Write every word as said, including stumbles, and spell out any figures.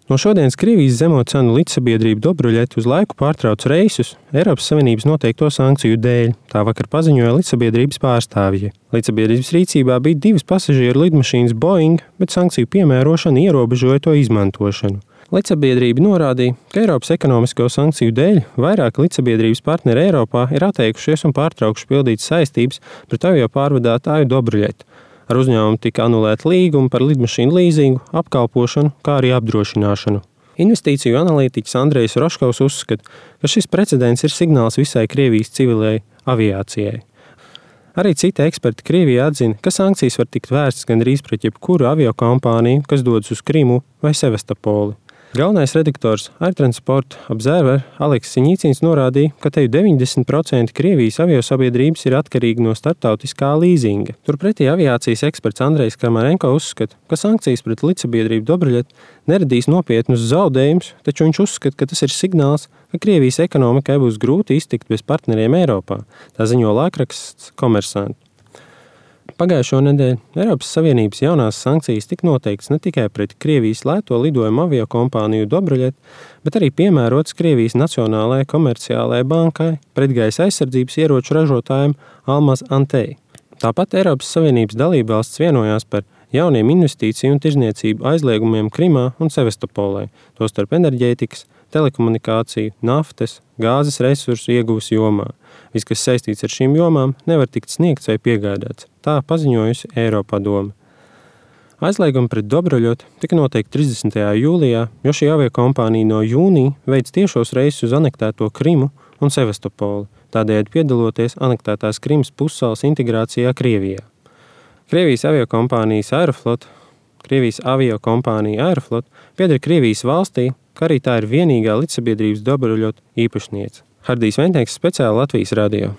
No šodienas Krievijas zemo cenu līdzsabiedrība Dobruļet uz laiku pārtrauc reisus Eiropas Savienības noteikto sankciju dēļ, tā vakar paziņoja līdzsabiedrības pārstāvji. Līdzsabiedrības rīcībā bija divas pasažieru lidmašīnas Boeing, bet sankciju piemērošana ierobežoja to izmantošanu. Līdzsabiedrība norādīja, ka Eiropas ekonomisko sankciju dēļ vairāk līdzsabiedrības partneri Eiropā ir atteikušies un pārtraukuši pildīt saistības pret avio pārvadātāju Dobruļet. Ar uzņēmumu tika anulēta līguma par lidmašīnu līzingu, apkalpošanu, kā arī apdrošināšanu. Investīciju analītiķis Andrejs Roškovs uzskata, ka šis precedents ir signāls visai Krievijas civilai aviācijai. Arī citi eksperti Krievijā atzina, ka sankcijas var tikt vērstas gandrīz pret jebkuru aviokompāniju, kas dodas uz Krimu vai Sevastopoli. Galvenais redaktors Air Transport Observer Aleks Siņicins norādīja, ka te deviņdesmit procenti Krievijas aviosabiedrības ir atkarīgi no starptautiskā līzinga. Turpretī aviācijas eksperts Andrejs Kramarenko uzskata, ka sankcijas pret līdzsabiedrību Dobruļet neradīs nopietnus zaudējumus, taču viņš uzskata, ka tas ir signāls, ka Krievijas ekonomikai būs grūti iztikt bez partneriem Eiropā. Tā ziņo laikraksts Komersant. Pagājušo nedēļu Eiropas Savienības jaunās sankcijas tika noteikts ne tikai pret Krievijas lēto lidojumu aviokompāniju Dobruļet, bet arī piemērots Krievijas Nacionālajai komerciālajai bankai, pretgaisa aizsardzības ieroču ražotājiem Almaz Antey. Tāpat Eiropas Savienības dalībvalstis vienojās par jauniem investīciju un tirzniecību aizliegumiem Krimā un Sevastopolē, tostarp enerģētikas, telekomunikāciju, naftas, gāzes resursu iegūs jomā. Viss, kas saistīts ar šīm jomām, nevar tikt sniegts vai piegādāts. Tā paziņojusi Eiropadome. Aizliegumi pret Dobruļet tika noteikti trīsdesmitajā jūlijā, jo šī aviokompānija no jūnija veic tiešos reisus uz anektēto Krimu un Sevastopoli, tādējādi piedaloties anektētās Krimas pussalas integrācijā Krievijā. Krievijas aviokompānijas Aeroflot, Krievijas aviokompānija Aeroflot pieder Krievijas valstī, kā arī tā ir vienīgā līdzsabiedrības Dobruļet īpašniece. Hardijs Ventnieks, speciāli Latvijas radio.